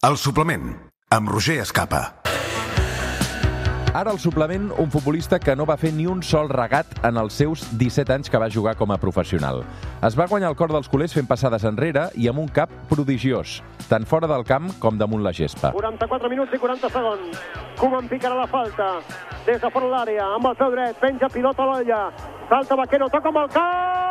El suplement, amb Roger Escapa. Ara al suplement, un futbolista que no va fer ni un sol regat en els seus 17 anys que va jugar com a professional. Es va guanyar el cor dels culers fent passades enrere i amb un cap prodigiós, tant fora del camp com damunt la gespa. 44 minuts i 40 segons. Koeman picarà la falta. Des de fora l'àrea, amb el peu dret, penja pilota a l'olla. Salta Vaquero, toca amb el cap.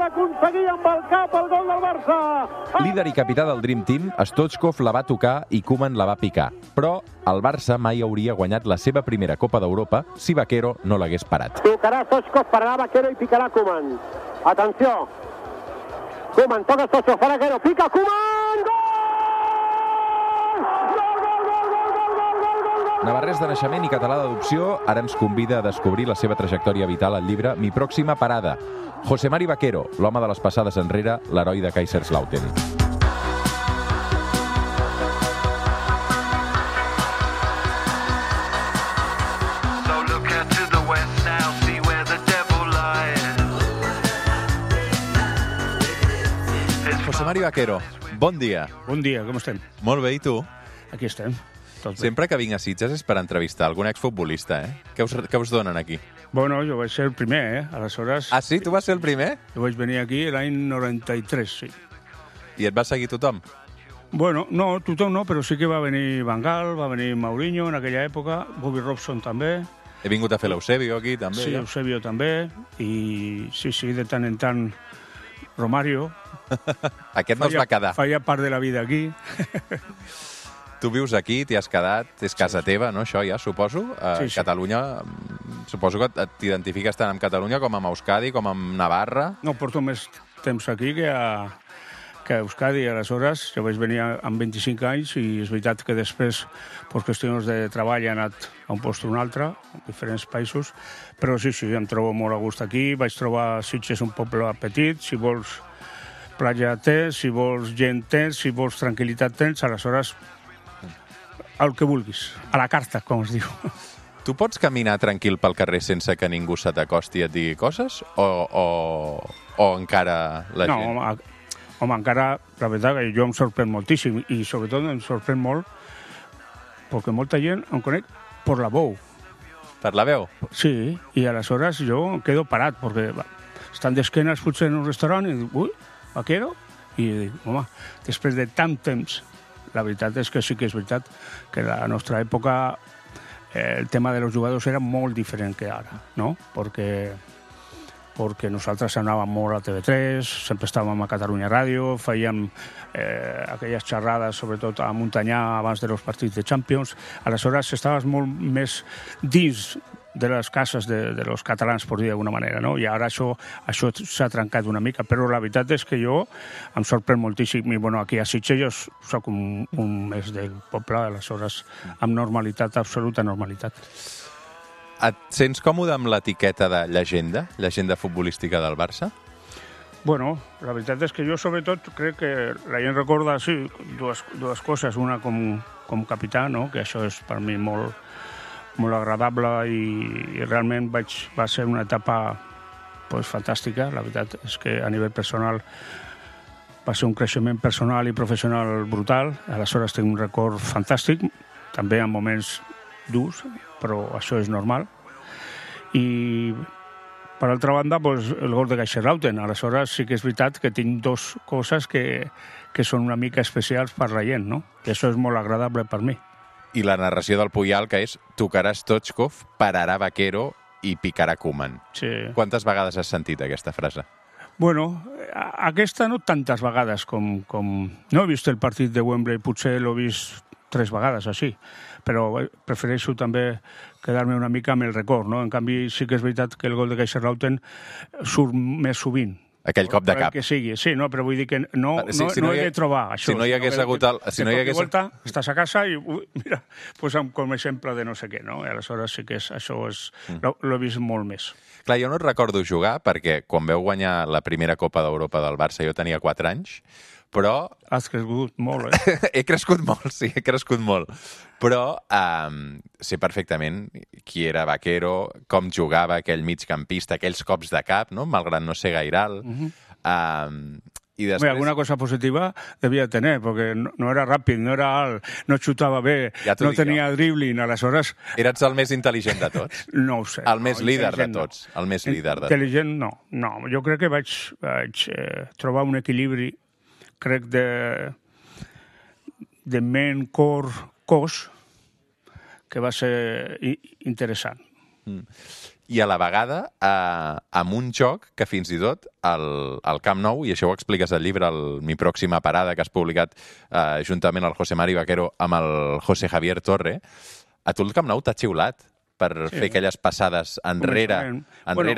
Aconseguir amb el cap el gol del Barça. Líder i capità del Dream Team, Stoichkov la va tocar i Koeman la va picar. Però el Barça mai hauria guanyat la seva primera Copa d'Europa si Vaquero no l'hagués parat. Tocarà Stoichkov, pararà Vaquero i picarà Koeman. Atenció. Koeman, toca Stoichkov, farà Vaquero, pica Koeman! Gol! Navarrès de naixement i català d'adopció, ara ens convida a descobrir la seva trajectòria vital al llibre Mi pròxima parada. José Mari Vaquero, l'home de les passades enrere, l'heroi de Kaiserslautern. José Mari Vaquero, bon dia. Bon dia, com estem? Molt bé, i tu? Aquí estem. Sempre que vinc a Sitges és per entrevistar algun exfutbolista, eh? Què us donen aquí? Bueno, jo vaig ser el primer, Aleshores... Ah, sí? Tu vas ser el primer? Jo vaig venir aquí l'any 93, sí. I et va seguir tothom? Bueno, no, tothom no, però sí que va venir Van Gaal, va venir Mourinho en aquella època, Bobby Robson també. He vingut a fer l'Eusebio aquí, també. Sí, Eusebio també, i sí, de tant en tant Romario. Aquest no es va quedar. Feia part de la vida aquí. Tu vius aquí, t'hi has quedat, és casa teva, no, això ja, suposo? Sí. Catalunya, suposo que t'identifiques tant amb Catalunya com amb Euskadi, com amb Navarra. No, porto més temps aquí que a Euskadi. Aleshores, jo vaig venir amb 25 anys i és veritat que després, per qüestions de treball, he anat a un lloc o un altre, a diferents països, però sí, em trobo molt a gust aquí. Vaig trobar Sitges un poble petit, si vols platja tens, si vols gent tens, si vols tranquil·litat tens, aleshores el que vulguis, a la carta, com es diu. Tu pots caminar tranquil pel carrer sense que ningú se t'acosti i et digui coses? O encara la gent? No, home, encara, la veritat, que jo em sorprèn moltíssim i sobretot em sorprèn molt perquè molta gent em conec per la veu. Per la veu? Sí, i aleshores jo em quedo parat perquè estan d'esquenes potser en un restaurant i dic, ui, Vaquero? I dic, home, després de tant temps, la veritat és que sí que és veritat que a la nostra època el tema de los jugadors era molt diferent que ara, no? Perquè nosaltres anàvem molt a TV3, sempre estàvem a Catalunya Ràdio, fèiem aquelles xerrades, sobretot a Montanyà, abans de los partits de Champions. Aleshores, estaves molt més dins de les cases de los catalans, per dir d'alguna manera, no? I ara això s'ha trencat una mica, però la veritat és que jo em sorprèn moltíssim. I, bueno, aquí a Sitges jo soc un més del poble, aleshores, amb normalitat, absoluta normalitat. Et sents còmode amb l'etiqueta de llegenda futbolística del Barça? Bueno, la veritat és que jo, sobretot, crec que la gent recorda, sí, dues coses. Una com capità, no? Que això és per mi molt agradable i realment va ser una etapa fantàstica. La veritat és que a nivell personal va ser un creixement personal i professional brutal. Aleshores tinc un record fantàstic, també en moments durs, però això és normal. I per altra banda, el gol de Kaiserslautern. Aleshores sí que és veritat que tinc dues coses que són una mica especials per la gent, no? I això és molt agradable per mi. I la narració del Puyal, que és tocarà Stoichkov, pararà Vaquero i picarà Koeman. Sí. Quantes vegades has sentit aquesta frase? Bueno, aquesta no tantes vegades com... No he vist el partit de Wembley, potser l'he vist 3 vegades, així, però prefereixo també quedar-me una mica amb el record, no? En canvi, sí que és veritat que el gol de Kaiserslautern surt més sovint. Aquell cop de cap. Que sigui, sí, no, però vull dir que no he de trobar això. Si no hi hagués hagut... volta, estàs a casa i, mira, posa'm com a exemple de no sé què, no? I aleshores sí que això l'he vist molt més. Clar, jo no et recordo jugar perquè quan vau guanyar la primera Copa d'Europa del Barça jo tenia 4 anys, Però... Has crescut molt, eh? He crescut molt, sí, he crescut molt. Però sé perfectament qui era Vaquero, com jugava aquell migcampista, aquells cops de cap, no? Malgrat no ser gaire alt. I després... Alguna cosa positiva devia tenir, perquè no era ràpid, no era alt, no xutava bé, no tenia dribbling, aleshores... Eres el més intel·ligent de tots? No ho sé. El més líder de tots? El més líder de tots? Intel·ligent, no. Jo crec que vaig trobar un equilibri, crec, de ment, cor, cos, que va ser interessant. I a la vegada, amb un joc que fins i tot al Camp Nou, i això ho expliques al llibre, Mi pròxima parada, que has publicat juntament el José Mari Vaquero amb el José Javier Torre, a tu el Camp Nou t'ha xiulat per fer aquelles passades enrere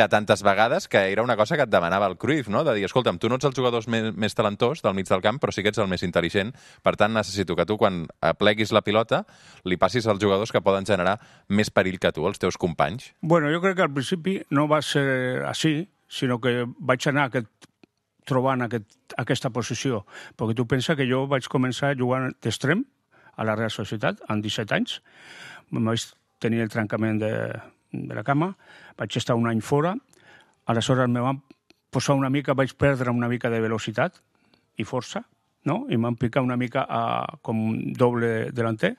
tantes vegades, que era una cosa que et demanava el Cruyff, no? De dir, escolta'm, tu no ets el jugador més talentós del mig del camp, però sí que ets el més intel·ligent, per tant necessito que tu, quan pleguis la pilota, li passis als jugadors que poden generar més perill que tu, els teus companys. Bueno, jo crec que al principi no va ser així, sinó que vaig anar trobant aquesta posició, perquè tu pensa que jo vaig començar jugant d'extrem a la Real Societat, amb 17 anys, vaig tenir el trencament de la cama, vaig estar un any fora, aleshores me van posar vaig perdre una mica de velocitat i força, no? I m'han picat una mica com doble delanter.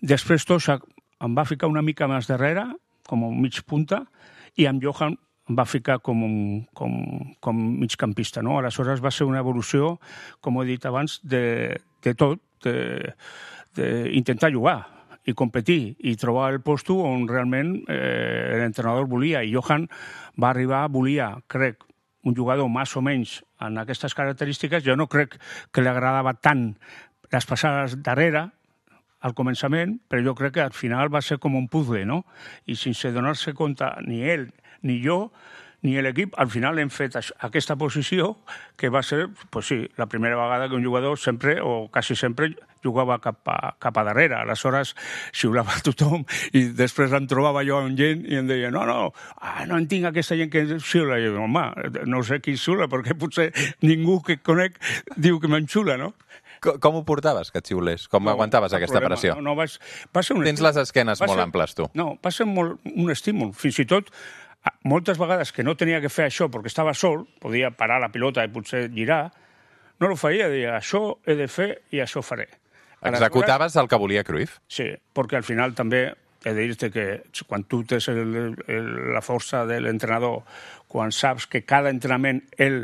Després Toša em va ficar una mica més darrere, com mig punta, i amb Johan em va ficar com migcampista, no? Aleshores va ser una evolució, com he dit abans, de tot, d'intentar jugar i competir i trobar el posto on realment l'entrenador volia. I Johan va arribar, crec, un jugador més o menys en aquestes característiques. Jo no crec que li agradava tant les passades darrere, al començament, però jo crec que al final va ser com un puzzle, no? I sense donar-se compte ni ell ni jo ni l'equip, al final hem fet aquesta posició que va ser, pues sí, la primera vegada que un jugador sempre, o quasi sempre, jugava cap a darrere. Aleshores, xiulava a tothom i després em trobava jo amb gent i em deia no entenc aquesta gent que xiula. I jo, home, no sé qui xiula, perquè potser ningú que conec diu que m'enxula, no? Com ho portaves, que et xiulés? Com aguantaves aquesta pressió? No, va ser un Tens les esquenes molt amples, tu. No, va ser un estímul. Fins i tot, moltes vegades que no tenia que fer això perquè estava sol, podia parar la pilota i potser girar, no ho feia, deia, això he de fer i això faré. Executaves el que volia Cruyff? Sí, perquè al final també he de dir-te que quan tu tens la força de l'entrenador, quan saps que cada entrenament ell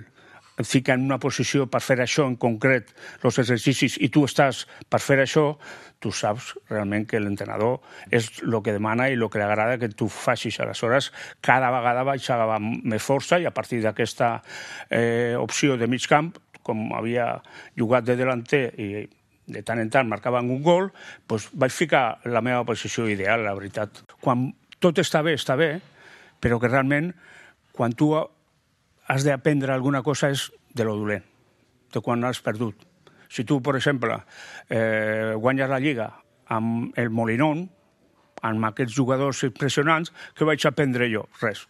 et fica en una posició per fer això en concret, els exercicis, i tu estàs per fer això, tu saps realment que l'entrenador és el que demana i el que li agrada que tu facis. Aleshores, cada vegada vaig agafar més força i a partir d'aquesta opció de mig camp, com havia jugat de delanter i de tant en tant marcaven un gol, doncs vaig ficar la meva posició ideal, la veritat. Quan tot està bé, però que realment quan tu has d'aprendre alguna cosa és de lo dolent, de quan has perdut. Si tu, per exemple, guanyes la Lliga amb el Molinón, amb aquests jugadors impressionants, què vaig aprendre jo? Res.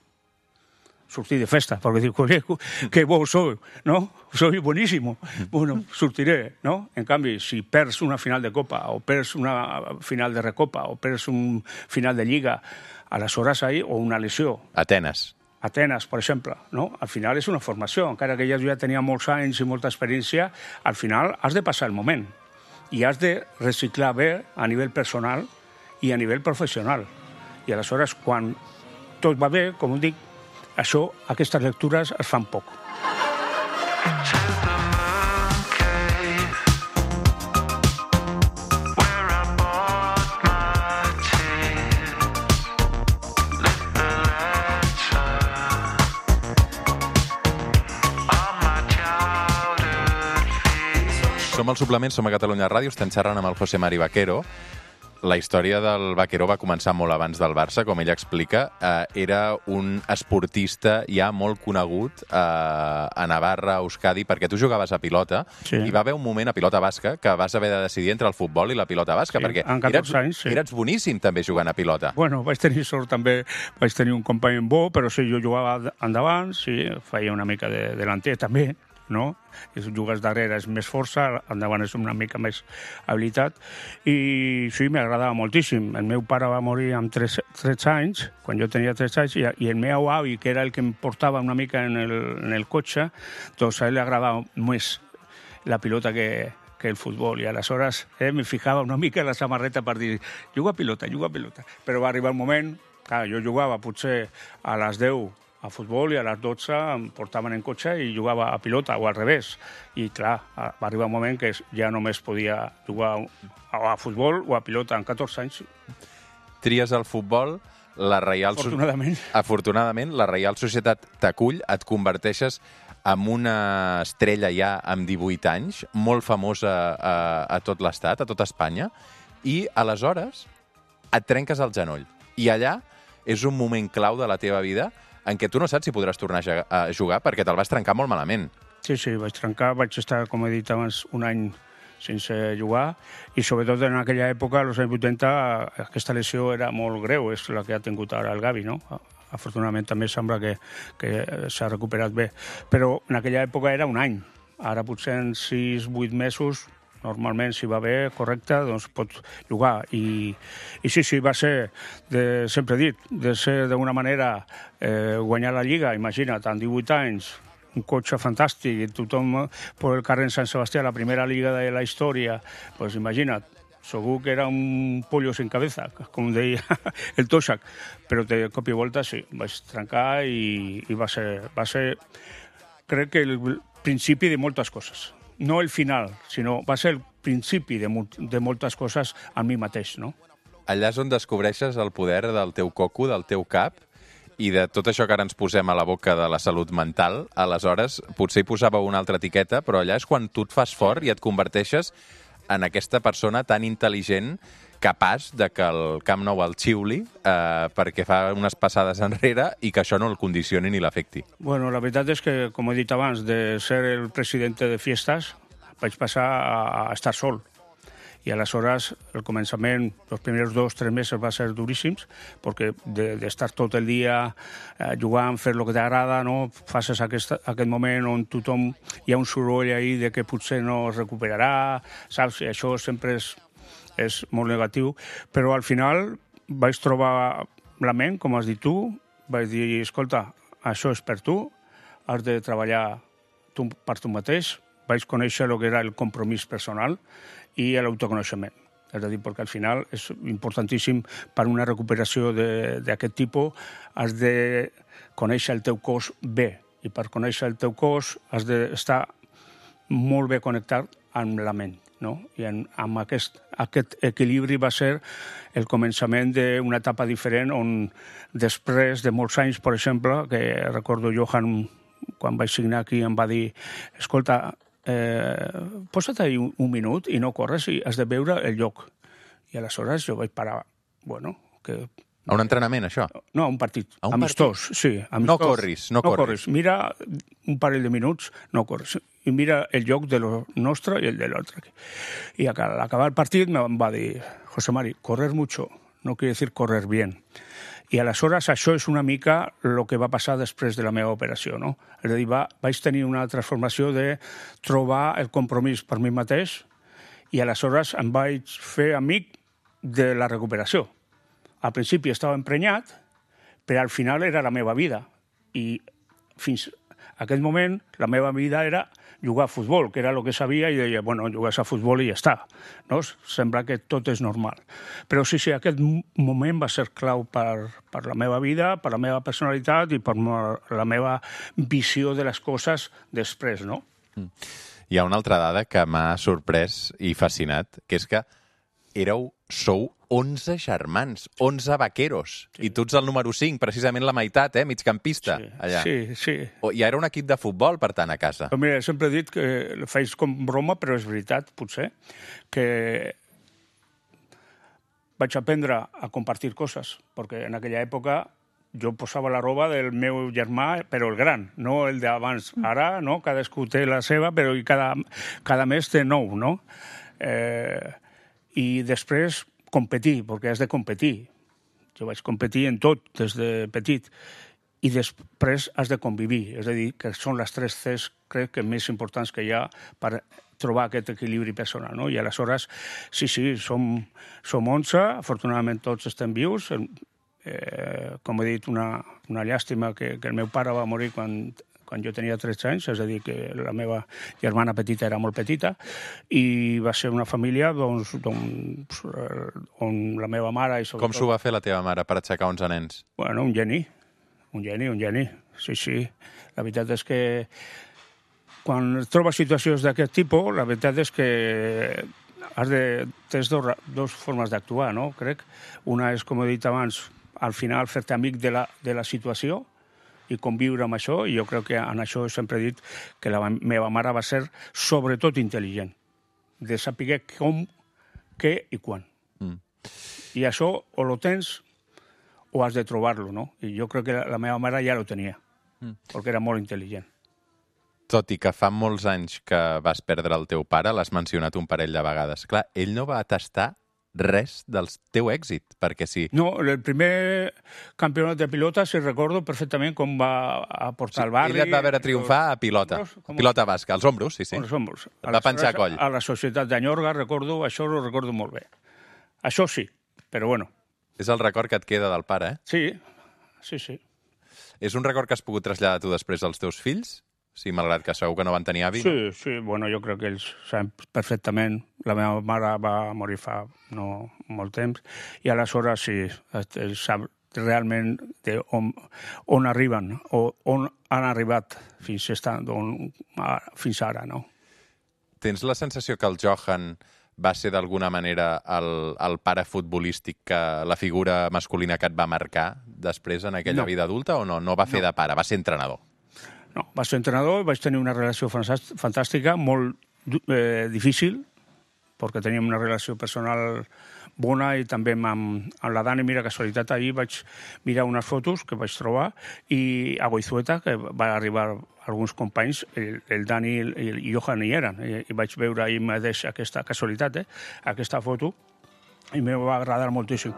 Sortir de festa, perquè dic, que bo soy, ¿no? Soy buenísimo. Bueno, sortiré, ¿no? En canvi, si perds una final de Copa, o perds una final de Recopa, o perds un final de Lliga, aleshores ahí, o una lesió. Atenes, per exemple, no? Al final és una formació, encara que ja tenia molts anys i molta experiència, al final has de passar el moment i has de reciclar bé a nivell personal i a nivell professional. I aleshores, quan tot va bé, com dic, aquestes lectures es fan poc. Som al Suplement, som a Catalunya Ràdio, estem xerrant amb el José Mari Vaquero. La història del Vaquero va començar molt abans del Barça, com ell explica. Era un esportista ja molt conegut a Navarra, a Euskadi, perquè tu jugaves a pilota, sí. I va haver un moment a pilota basca que vas haver de decidir entre el futbol i la pilota basca, sí, perquè eres boníssim també jugant a pilota. Bueno, vaig tenir sort també, vaig tenir un company bo, però sí, jo jugava endavant, sí, feia una mica de delanter també, no? Si jugues darrere és més força, endavant és una mica més habilitat. I sí, m'agradava moltíssim. El meu pare va morir amb 13 anys, quan jo tenia 13 anys, i el meu avi, que era el que em portava una mica en el cotxe, doncs a ell li agradava més la pilota que el futbol. I aleshores me fijava una mica en la samarreta per dir juga a pilota. Però va arribar el moment, clar, jo jugava potser a les 10 a futbol i a les 12 em portaven en cotxe i jugava a pilota, o al revés. I clar, va arribar un moment que ja només podia jugar a futbol o a pilota. Amb 14 anys. Tries el futbol, la Reial... Afortunadament, la Reial Societat t'acull, et converteixes en una estrella ja amb 18 anys, molt famosa a tot l'estat, a tot Espanya, i aleshores et trenques el genoll. I allà és un moment clau de la teva vida en què tu no saps si podràs tornar a jugar perquè te'l vas trencar molt malament. Sí, vaig trencar, vaig estar, com he dit abans, un any sense jugar i sobretot en aquella època, als anys 80, aquesta lesió era molt greu, és la que ha tingut ara el Gavi, no? Afortunadament també sembla que s'ha recuperat bé, però en aquella època era un any, ara potser en 6-8 mesos normalment, si va bé, correcte, doncs pot jugar. I sí, va ser, sempre he dit, de ser d'una manera guanyar la Lliga, imagina't, amb 18 anys, un cotxe fantàstic, i tothom per el carrer en Sant Sebastià, la primera Lliga de la història, doncs imagina't, segur que era un pollo sin cabeza, com deia el Toshak, però de cop i volta sí, vaig trencar i va ser, crec que el principi de moltes coses. No el final, sinó va ser el principi de moltes coses a mi mateix, no? Allà és on descobreixes el poder del teu coco, del teu cap, i de tot això que ara ens posem a la boca de la salut mental, aleshores potser hi posava una altra etiqueta, però allà és quan tu et fas fort i et converteixes en aquesta persona tan intel·ligent, capaç de que el Camp Nou el xiuli perquè fa unes passades enrere i que això no el condicioni ni l'afecti. Bueno, la veritat és que, com he dit abans, de ser el president de fiestas vaig passar a estar sol. I aleshores, el començament, els primers 2-3 mesos va ser duríssims, perquè d'estar tot el dia jugant, fer el que t'agrada, no? Faces aquest moment on tothom hi ha un soroll ahí de que potser no es recuperarà, saps? I això sempre és molt negatiu, però al final vaig trobar la ment, com has dit tu, vaig dir, escolta, això és per tu, has de treballar per tu mateix, vaig conèixer el que era el compromís personal i l'autoconeixement. És a dir, perquè al final és importantíssim per una recuperació d'aquest tipus, has de conèixer el teu cos bé, i per conèixer el teu cos has d'estar molt bé connectat amb la ment. No? I amb aquest equilibri va ser el començament d'una etapa diferent on després de molts anys, per exemple, que recordo Johan, quan vaig signar aquí, em va dir, escolta, posa't ahí un minut i no corres i has de veure el lloc. I aleshores jo vaig parar, bueno, que... A un entrenament, això? No, a un partit. Amistós, sí. Amistós. No corris. Mira un parell de minuts, no corris. I mira el lloc de lo nostre i el de l'altre. I al acabar el partit em va dir, José Mari, correr mucho no quiere decir correr bien. I aleshores això és una mica el que va passar després de la meva operació, no? És a dir, vaig tenir una transformació de trobar el compromís per mi mateix i aleshores em vaig fer amic de la recuperació. Al principi estava emprenyat, però al final era la meva vida. I fins a aquest moment la meva vida era jugar a futbol, que era el que sabia, i deia, bueno, jugues a futbol i ja està. No? Sembla que tot és normal. Però sí, aquest moment va ser clau per la meva vida, per la meva personalitat i per la meva visió de les coses després, no? Hi ha una altra dada que m'ha sorprès i fascinat, que és que sou 11 germans, 11 vaqueros, sí. I tu ets el número 5, precisament la meitat, migcampista, sí, allà. Sí. I era un equip de futbol, per tant, a casa. Però mira, sempre he dit que faig com broma, però és veritat, potser, que vaig aprendre a compartir coses, perquè en aquella època jo posava la roba del meu germà, però el gran, no el d'abans. Ara, no?, cadascú té la seva, però cada mes té 9, no? I després competir, perquè has de competir. Jo vaig competir en tot des de petit. i després has de convivir. És a dir, que són les 3 Cs, crec que més importants que hi ha per trobar aquest equilibri personal, no? I aleshores, sí, som 11, afortunadament tots estem vius. Com he dit, una llàstima que el meu pare va morir quan jo tenia 13 anys, és a dir, que la meva germana petita era molt petita, i va ser una família on la meva mare... Com s'ho va fer la teva mare per aixecar 11 nens? Bueno, un geni. Sí. La veritat és que quan trobes situacions d'aquest tipus, la veritat és que tens dues formes d'actuar, no? Crec. Una és, com he dit abans, al final fer-te amic de la situació i conviure amb això, i jo crec que en això sempre he dit que la meva mare va ser sobretot intel·ligent, de saber com, què i quan. I això o lo tens o has de trobar-lo, no? I jo crec que la meva mare ja lo tenia, perquè era molt intel·ligent. Tot i que fa molts anys que vas perdre el teu pare, l'has mencionat un parell de vegades. Clar, ell no va atestar res del teu èxit, perquè sí. No, el primer campionat de pilota, si recordo perfectament com va aportar al barri... Ell et va veure triomfar a pilota, pilota basca, als ombros, sí. Als ombros. Et va penjar a coll. A la societat d'Anyorga, això ho recordo molt bé. Això sí, però bueno. És el record que et queda del pare, eh? Sí. És un record que has pogut traslladar tu després als teus fills? Sí, malgrat que segur que no van tenir avi. Sí, bueno, jo crec que ells saben perfectament. La meva mare va morir fa no molt temps, i aleshores sí, ells saben realment on arriben, o on han arribat fins ara, no? Tens la sensació que el Johan va ser d'alguna manera el pare futbolístic, que la figura masculina que et va marcar després en aquella vida adulta, o no? No va fer de pare, va ser entrenador. No, vaig ser entrenador, vaig tenir una relació fantàstica, molt difícil, perquè teníem una relació personal bona, i també amb la Dani, mira, casualitat, ahir vaig mirar unes fotos que vaig trobar, i a Goizueta, que va arribar alguns companys, el Dani i el Johan hi eren, i vaig veure ahir mateix aquesta casualitat, aquesta foto, i em va agradar moltíssim.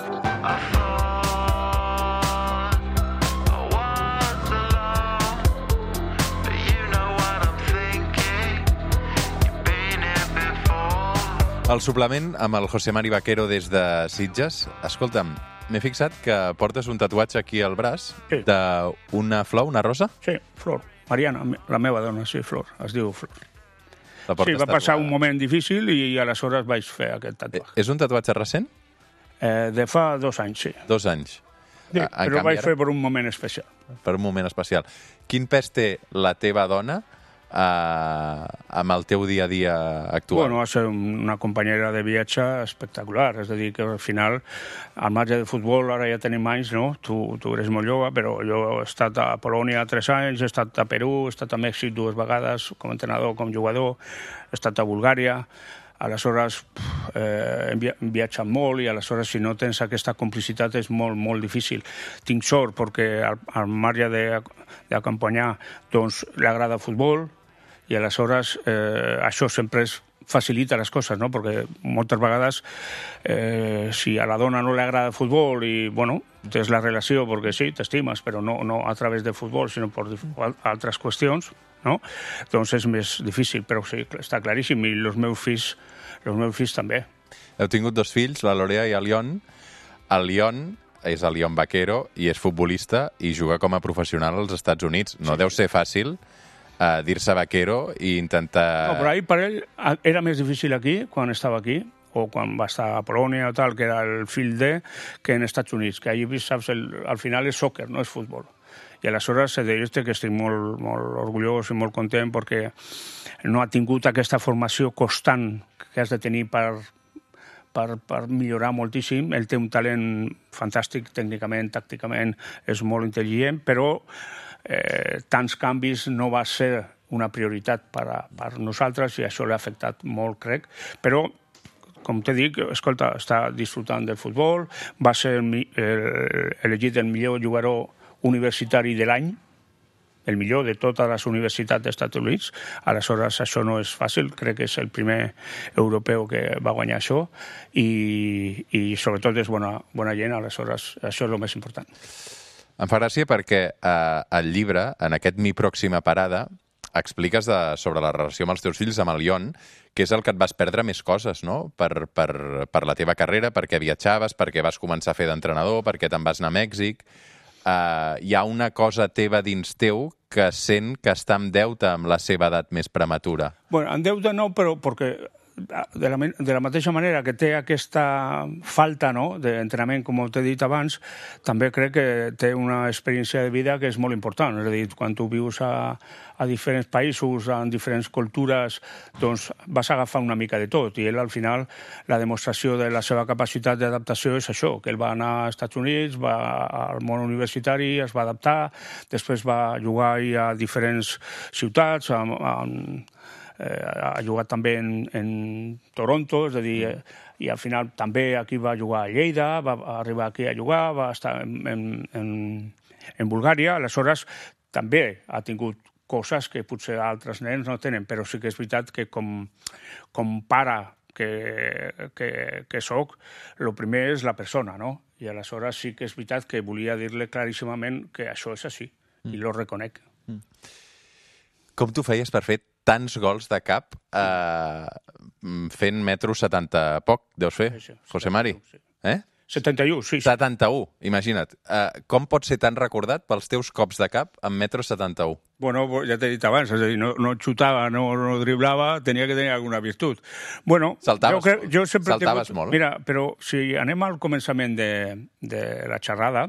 El suplement amb el José Mari Vaquero des de Sitges. Escolta'm, m'he fixat que portes un tatuatge aquí al braç d'una flor, una rosa? Sí, Flor. Mariana, la meva dona, sí, Flor. Es diu Flor. Sí, va passar un moment difícil i aleshores vaig fer aquest tatuatge. És un tatuatge recent? De fa 2 anys, sí. 2 anys. Sí, però vaig fer per un moment especial. Per un moment especial. Quin pes té la teva dona amb el teu dia a dia actual? Bueno, va ser una companyera de viatge espectacular, és a dir, que al final, al marge de futbol, ara ja tenim anys, no? Tu eres molt jove, però jo he estat a Polònia 3 anys, he estat a Perú, he estat a Mèxic 2 vegades, com a entrenador, com jugador, he estat a Bulgària, aleshores hem viatjat molt, i aleshores si no tens aquesta complicitat és molt, molt difícil. Tinc sort perquè al marge d'acompanyar, doncs, li agrada el futbol, i aleshores això sempre facilita les coses, no? Perquè moltes vegades si a la dona no li agrada el futbol i, bueno, tens la relació perquè sí, t'estimes, però no a través del futbol, sinó per altres qüestions, no? Doncs és més difícil, però sí, està claríssim, i els meus fills també. Heu tingut 2 fills, la Lorea i el Lion. El Lion és el Lion Vaquero i és futbolista i juga com a professional als Estats Units. No deu ser fàcil dir-se Vaquero i intentar... No, però ahir per ell era més difícil aquí, quan estava aquí, o quan va estar a Polònia o tal, que era el fill de, que en Estats Units, que allí, saps, al final és soccer, no és futbol. I aleshores he de dir-te que estic molt, molt orgullós i molt content perquè no ha tingut aquesta formació constant que has de tenir per millorar moltíssim. Ell té un talent fantàstic tècnicament, tàcticament, és molt intel·ligent, però tants canvis no va ser una prioritat per nosaltres i això l'ha afectat molt, crec. Però, com t'he dit, escolta, està disfrutant del futbol, va ser elegit el millor jugador universitari de l'any, el millor de totes les universitats dels Estats Units. Aleshores, això no és fàcil, crec que és el primer europeu que va guanyar això, i sobretot és bona gent, aleshores això és el més important. Em fa gràcia perquè al llibre, en aquest Mi pròxima parada, expliques sobre la relació amb els teus fills, amb el Ion, que és el que et vas perdre més coses, no? Per la teva carrera, perquè viatjaves, perquè vas començar a fer d'entrenador, perquè te'n vas anar a Mèxic. Hi ha una cosa teva dins teu que sent que està en deute amb la seva edat més prematura. Bueno, en deute no, però perquè de la mateixa manera que té aquesta falta, no?, d'entrenament, com t'he dit abans, també crec que té una experiència de vida que és molt important. És a dir, quan tu vius a diferents països, en diferents cultures, doncs vas agafar una mica de tot. I ell, al final, la demostració de la seva capacitat d'adaptació és això, que ell va anar als Estats Units, va al món universitari, es va adaptar, després va jugar a diferents ciutats, ha jugat també en Toronto, és a dir, i al final també aquí va jugar a Lleida, va arribar aquí a jugar, va estar en Bulgària, aleshores també ha tingut coses que potser altres nens no tenen, però sí que és veritat que com pare que soc, el primer és la persona, no? I aleshores sí que és veritat que volia dir-li claríssimament que això és així, i lo reconec. Com tu feies per fer tants gols de cap fent metro 70 poc, deus fer, José Mari? 71, sí. 71, imagina't. Com pots ser tan recordat pels teus cops de cap amb metro 71? Bueno, ja t'he dit abans, és a dir, no xutava, no driblava, tenia que tenir alguna virtut. Bueno, saltaves molt. Mira, però si anem al començament de la xerrada,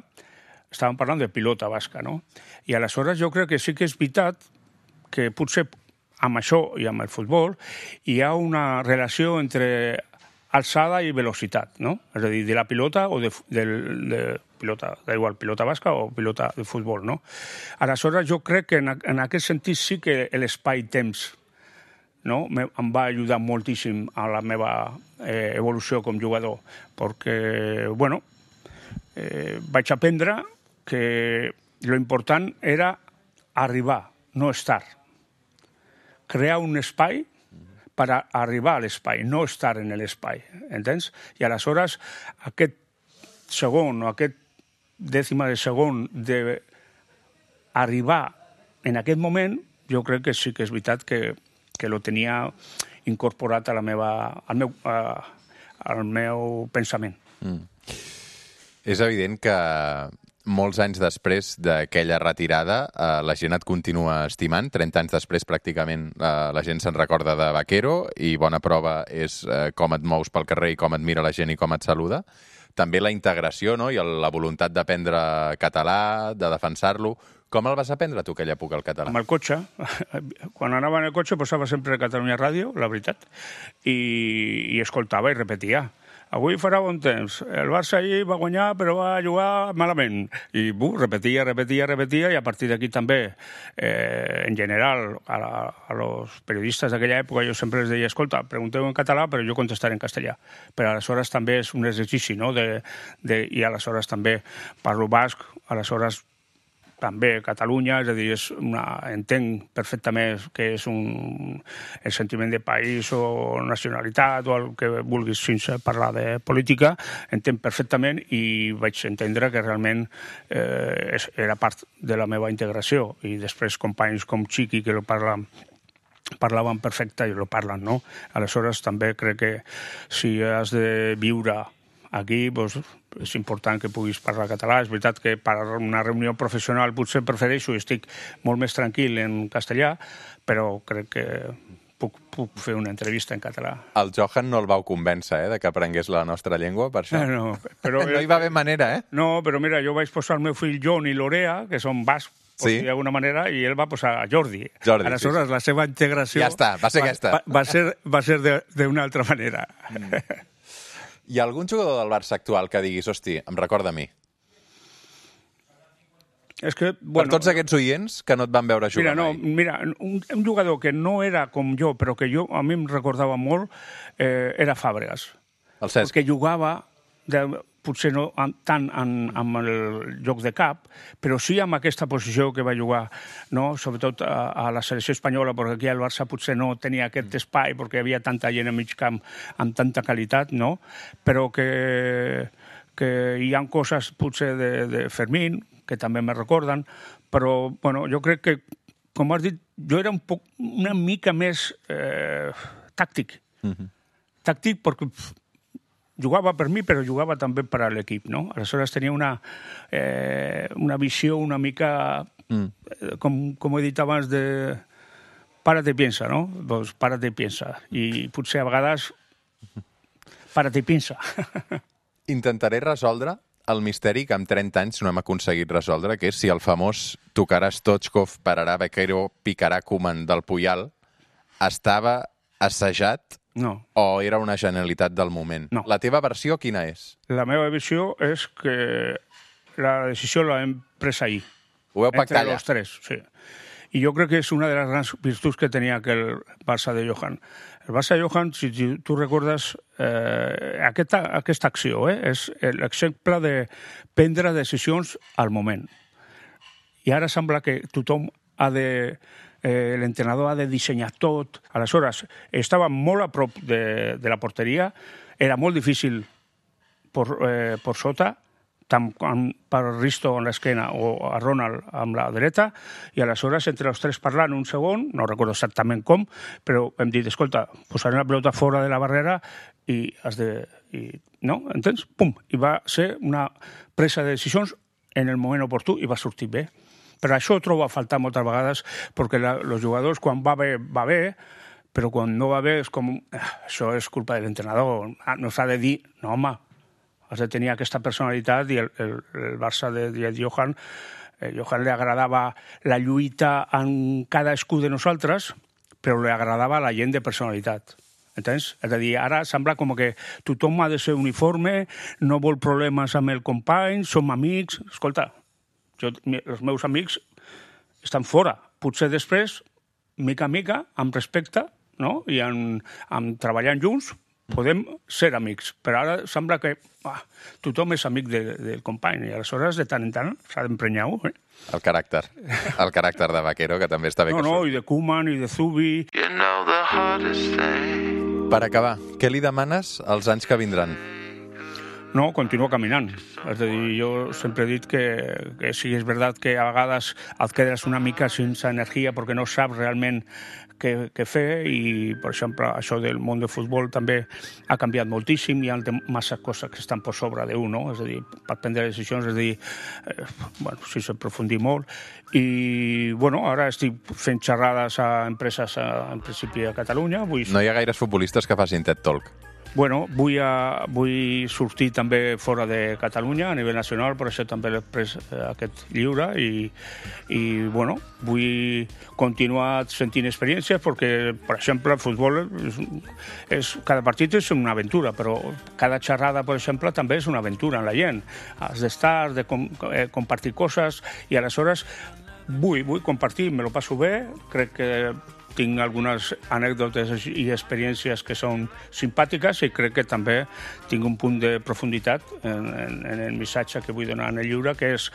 estàvem parlant de pilota basca, no? I aleshores jo crec que sí que és veritat que potser amb això i amb el futbol hi ha una relació entre alçada i velocitat, no? És a dir, de la pilota o de pilota, da igual, pilota basca o pilota de futbol, no? Aleshores, jo crec que en aquest sentit sí que l'espai-temps, no?, em va ajudar moltíssim a la meva evolució com jugador, perquè, bueno, vaig aprendre que lo important era arribar, no estar. Crear un espai per arribar a l'espai, no estar en l'espai, entens? I aleshores aquest segon o aquest dècima de segon d'arribar en aquest moment, jo crec que sí que és veritat que lo tenia incorporat al meu pensament. És evident que molts anys després d'aquella retirada, la gent et continua estimant. 30 anys després, pràcticament, la gent se'n recorda de Vaquero i bona prova és com et mous pel carrer i com et mira la gent i com et saluda. També la integració, no?, i la voluntat d'aprendre català, de defensar-lo. Com el vas aprendre tu, aquella època, el català? Amb el cotxe. Quan anava en el cotxe posava sempre Catalunya Ràdio, la veritat, i escoltava i repetia. Avui farà bon temps. El Barça ahir va guanyar, però va jugar malament. I repetia, i a partir d'aquí també, en general, a los periodistes d'aquella època, jo sempre els deia, escolta, pregunteu en català, però jo contestaré en castellà. Però aleshores també és un exercici, no?, i aleshores també parlo basc, aleshores també Catalunya, és a dir, entenc perfectament que és el sentiment de país o nacionalitat o el que vulguis sense parlar de política, entenc perfectament i vaig entendre que realment era part de la meva integració. I després companys com Chiqui, que parlaven perfecte i lo parlen, no? Aleshores també crec que si has de viure aquí, doncs, és important que puguis parlar català. És veritat que per una reunió professional potser prefereixo i estic molt més tranquil en castellà, però crec que puc fer una entrevista en català. El Johan no el vau convèncer, de que aprengués la nostra llengua, per això? No, però no hi va haver manera, No, però mira, jo vaig posar el meu fill John i Lorea, que són bascs, sí, d'alguna manera, i ell va posar Jordi. Aleshores, sí. La seva integració ja està, va ser aquesta. Va ser d'una altra manera. Hi ha algun jugador del Barça actual que diguis, hosti, em recorda a mi? És que, per tots aquests oients que no et van veure jugar mai. Mira, un jugador que no era com jo, però que a mi em recordava molt, era Fàbregas. El Cesc. Perquè jugava, potser no tant amb el joc de cap, però sí amb aquesta posició que va jugar, no? Sobretot a la selecció espanyola, perquè aquí al Barça potser no tenia aquest espai, perquè hi havia tanta gent a mig camp amb tanta qualitat, no? Però que hi ha coses potser de Fermín, que també me recorden, però bueno, jo crec que, com has dit, jo era una mica més tàctic. Tàctic perquè jugava per mi, però jugava també per a l'equip, no? Aleshores tenia una visió una mica, com he dit abans, de párate i piensa, no? Doncs párate i piensa. I potser a vegades párate i piensa. Intentaré resoldre el misteri que amb 30 anys no hem aconseguit resoldre, que és si el famós tocarà Stoichkov, pararà Vaquero, picarà Koeman del Puyal estava assajat o era una genialitat del moment? No. La teva versió quina és? La meva versió és que la decisió l'hem pres ahir. Ho veu pactar allà? Entre los tres, sí. I jo crec que és una de les grans virtuts que tenia aquell Barça de Johan. El Barça de Johan, si tu recordes, aquesta acció és l'exemple de prendre decisions al moment. I ara sembla que tothom l'entrenador ha de dissenyar tot. Aleshores, estava molt a prop de la porteria, era molt difícil per sota, tant per Risto en l'esquena o a Ronald amb la dreta, i aleshores entre els tres parlant un segon, no recordo exactament com, però hem dit, escolta, posarem la pelota fora de la barrera i has de... no? Entens? Pum! I va ser una presa de decisions en el moment oportú i va sortir bé. Però això ho trobo a faltar moltes vegades, perquè els jugadors, quan va bé, però quan no va bé és com... això és culpa de l'entrenador. No s'ha de dir, no, home, has de tenir aquesta personalitat, i el Barça de Johan li agradava la lluita en cadascú de nosaltres, però li agradava la gent de personalitat. Entens? És a dir, ara sembla com que tothom ha de ser uniforme, no vol problemes amb el company, som amics... Escolta, els meus amics estan fora. Potser després, mica a mica, amb respecte, no? I treballant junts, podem ser amics. Però ara sembla que tothom és amic del company, i aleshores, de tant en tant, s'ha d'emprenyar-ho. El caràcter de Vaquero, que també està bé que i de Koeman, i de Zubi... Per acabar, què li demanes als anys que vindran? No, continua caminant. És a dir, jo sempre he dit que sí, és veritat que a vegades et quedes una mica sense energia perquè no saps realment què fer, i, per exemple, això del món del futbol també ha canviat moltíssim, hi ha massa coses que estan per sobre d'un, no? És a dir, per prendre decisions, és a dir, sí, s'aprofundir molt. I, ara estic fent xerrades a empreses, en principi, a Catalunya. No hi ha gaires futbolistes que facin TED Talk. Vull sortir també fora de Catalunya, a nivell nacional, per això també l'he pres aquest llibre, i vull continuar sentint experiències, perquè, per exemple, el futbol cada partit és una aventura, però cada xerrada, per exemple, també és una aventura en la gent. Has d'estar, de compartir coses, i aleshores vull compartir, me lo passo bé, crec que tinc algunes anècdotes i experiències que són simpàtiques, i crec que també tinc un punt de profunditat en el missatge que vull donar en el llibre, que és,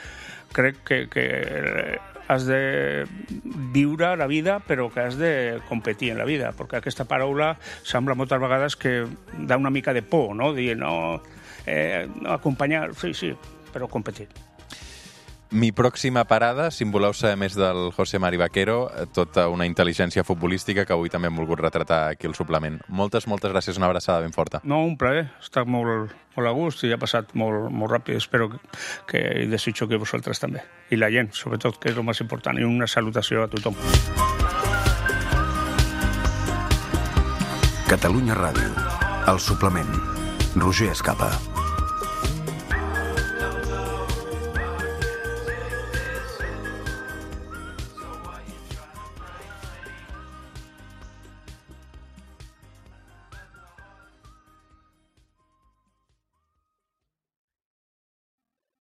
crec que has de viure la vida, però que has de competir en la vida, perquè aquesta paraula sembla moltes vegades que dà una mica de por, no? Dir, no, acompanyar, sí, però competir. Mi pròxima parada, si en voleu saber més del José Mari Vaquero, tota una intel·ligència futbolística que avui també hem volgut retratar aquí al suplement. Moltes gràcies, una abraçada ben forta. No, un plaer, he estat molt a gust i ha passat molt ràpid. Espero que i desitjo que vosaltres també. I la gent, sobretot, que és el més important. I una salutació a tothom. Catalunya Ràdio, el suplement. Roger Escapa.